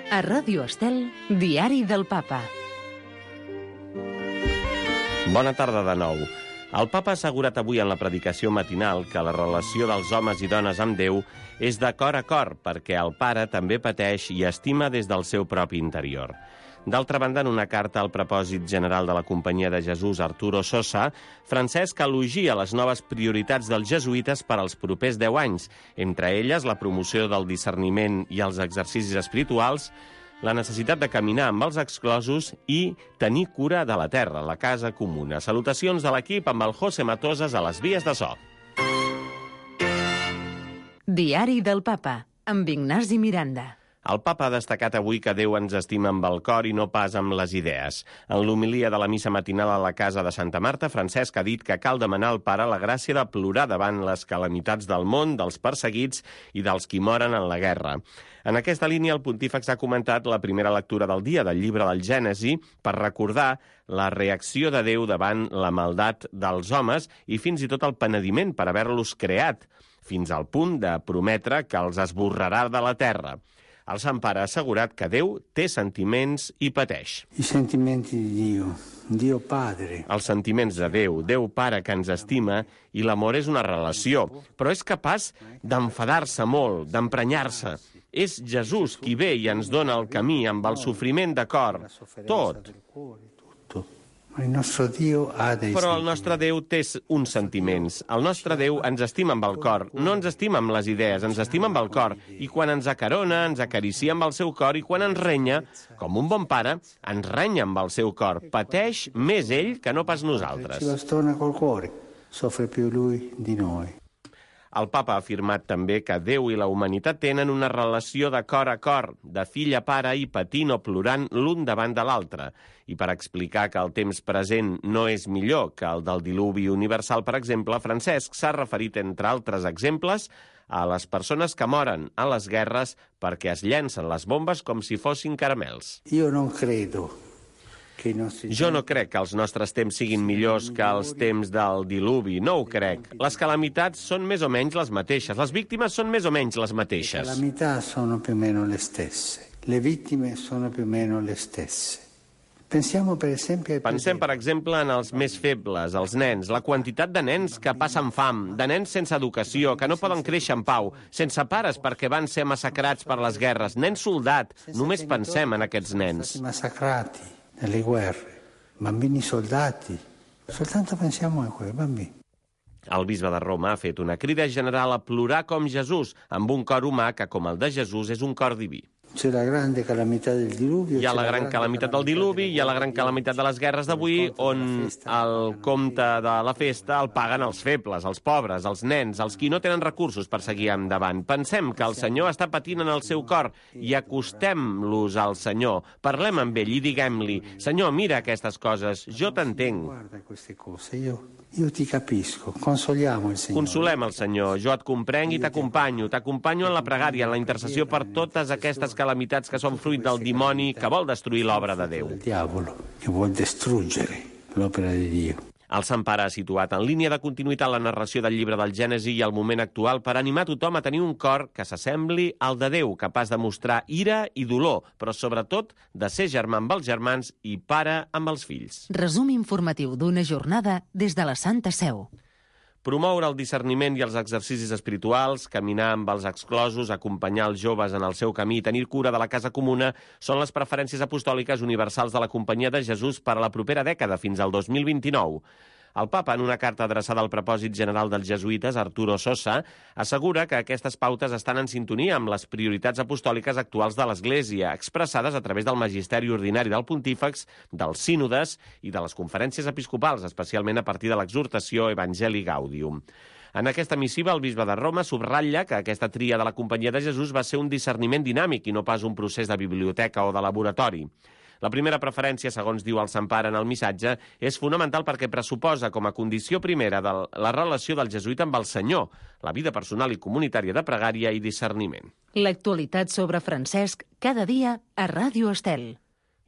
A Ràdio Estel, Diari del Papa. Bona tarda de nou. El Papa ha assegurat avui en la predicació matinal que la relació dels homes i dones amb Déu és de cor a cor, perquè el Pare també pateix i estima des del seu propi interior. D'altra banda, en una carta al propòsit general de la Companyia de Jesús, Arturo Sosa, Francesc elogia les noves prioritats dels jesuïtes per als propers 10 anys, entre elles la promoció del discerniment i els exercicis espirituals, la necessitat de caminar amb els exclosos i tenir cura de la terra, la casa comuna. Salutacions de l'equip amb el José Matosas a les vies de so. Diari del Papa, amb Ignasi Miranda. El Papa ha destacat avui que Déu ens estima amb el cor i no pas amb les idees. En l'homilia de la missa matinal a la casa de Santa Marta, Francesc ha dit que cal demanar al Pare la gràcia de plorar davant les calamitats del món, dels perseguits i dels qui moren en la guerra. En aquesta línia, el pontífex ha comentat la primera lectura del dia del llibre del Gènesi per recordar la reacció de Déu davant la maldat dels homes i fins i tot el penediment per haver-los creat, fins al punt de prometre que els esborrarà de la terra. El Sant Pare ha assegurat que Déu té sentiments i pateix. I sentimenti di Dio, Dio Padre. Els sentiments de Déu, Déu Pare que ens estima, i l'amor és una relació, però és capaç d'enfadar-se molt, d'emprenyar-se. És Jesús qui ve i ens dona el camí amb el sofriment de cor, tot. Però el nostre Déu té uns sentiments. El nostre Déu ens estima amb el cor, no ens estima amb les idees, ens estima amb el cor. I quan ens acarona, ens acaricia amb el seu cor, i quan ens renya, com un bon pare, ens renya amb el seu cor. Pateix més ell que no pas nosaltres. Ci bastona col cuore, soffre più lui di noi. El Papa ha afirmat també que Déu i la humanitat tenen una relació de cor a cor, de fill a pare i patint o plorant l'un davant de l'altre. I per explicar que el temps present no és millor que el del diluvi universal, per exemple, Francesc s'ha referit, entre altres exemples, a les persones que moren a les guerres perquè es llencen les bombes com si fossin caramels. Jo no crec que els nostres temps siguin millors que els temps del diluvi, no ho crec. Les calamitats són més o menys les mateixes, les víctimes són més o menys les mateixes. Le calamità sono più o meno le stesse, le vittime sono più o meno le stesse. Pensem, per exemple, en els més febles, els nens, la quantitat de nens que passen fam, de nens sense educació, que no poden créixer en pau, sense pares perquè van ser massacrats per les guerres, nens soldat, només pensem en aquests nens. Massacrati nelle guerre, bambini soldati, soltanto pensiamo a quei bambini. El bisbe de Roma ha fet una crida general a plorar com Jesús, amb un cor humà que, com el de Jesús, és un cor diví. C'è la grande calamità del diluvio. Hi ha la gran calamitat del diluvi, hi ha la gran calamitat de les guerres d'avui, on el compte de la festa el paguen els febles, els pobres, els nens, els qui no tenen recursos per seguir endavant. Pensem que el Senyor està patint en el seu cor i acostem-los al Senyor. Parlem amb ell i diguem-li: Senyor, mira aquestes coses, jo t'entenc. Guarda queste cose, io ti capisco, consoliamo il Signore. Consolem el Senyor, jo et comprenc i t'acompanyo en la pregària, en la intercessió per totes aquestes calamitats que són fruit del dimoni que vol destruir l'obra de Déu. Il diavolo che vuol distruggere l'opera di Dio. El Sant Pare ha situat en línia de continuïtat la narració del llibre del Gènesi i el moment actual per animar tothom a tenir un cor que s'assembli al de Déu, capaç de mostrar ira i dolor, però sobretot de ser germà amb els germans i pare amb els fills. Resum informatiu d'una jornada des de la Santa Seu. Promoure el discerniment i els exercicis espirituals, caminar amb els exclosos, acompanyar els joves en el seu camí i tenir cura de la casa comuna són les preferències apostòliques universals de la Companyia de Jesús per a la propera dècada, fins al 2029. El Papa, en una carta adreçada al propòsit general dels jesuïtes, Arturo Sosa, assegura que aquestes pautes estan en sintonia amb les prioritats apostòliques actuals de l'Església, expressades a través del magisteri ordinari del pontífex, dels sínodes i de les conferències episcopals, especialment a partir de l'exhortació Evangelii Gaudium. En aquesta missiva, el bisbe de Roma subratlla que aquesta tria de la Companyia de Jesús va ser un discerniment dinàmic i no pas un procés de biblioteca o de laboratori. La primera preferència, segons diu el Sant Pare en el missatge, és fonamental perquè pressuposa com a condició primera de la relació del jesuïta amb el Senyor, la vida personal i comunitària de pregària i discerniment. L'actualitat sobre Francesc, cada dia a Ràdio Estel.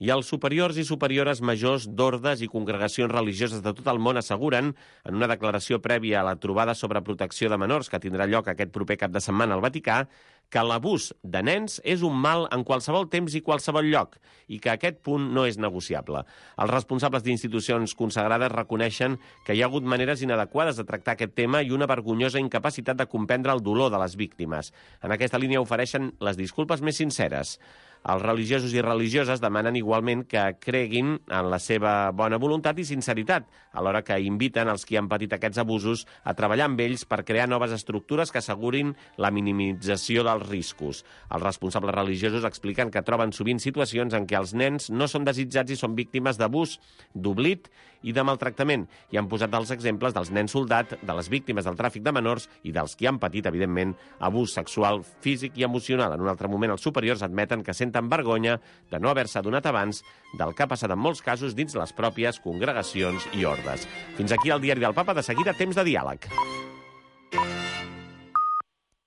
I els superiors i superiores majors d'ordes i congregacions religioses de tot el món asseguren, en una declaració prèvia a la trobada sobre protecció de menors que tindrà lloc aquest proper cap de setmana al Vaticà, que l'abús de nens és un mal en qualsevol temps i qualsevol lloc i que aquest punt no és negociable. Els responsables d'institucions consagrades reconeixen que hi ha hagut maneres inadequades de tractar aquest tema i una vergonyosa incapacitat de comprendre el dolor de les víctimes. En aquesta línia ofereixen les disculpes més sinceres. Els religiosos i religioses demanen igualment que creguin en la seva bona voluntat i sinceritat, alhora que inviten els qui han patit aquests abusos a treballar amb ells per crear noves estructures que assegurin la minimització dels riscos. Els responsables religiosos expliquen que troben sovint situacions en què els nens no són desitjats i són víctimes d'abús, d'oblit i de maltractament, i han posat els exemples dels nens soldat, de les víctimes del tràfic de menors i dels qui han patit, evidentment, abús sexual, físic i emocional. En un altre moment, els superiors admeten que senten vergonya de no haver-se adonat abans del que ha passat en molts casos dins les pròpies congregacions i ordes. Fins aquí el diari del Papa. De seguida, temps de diàleg.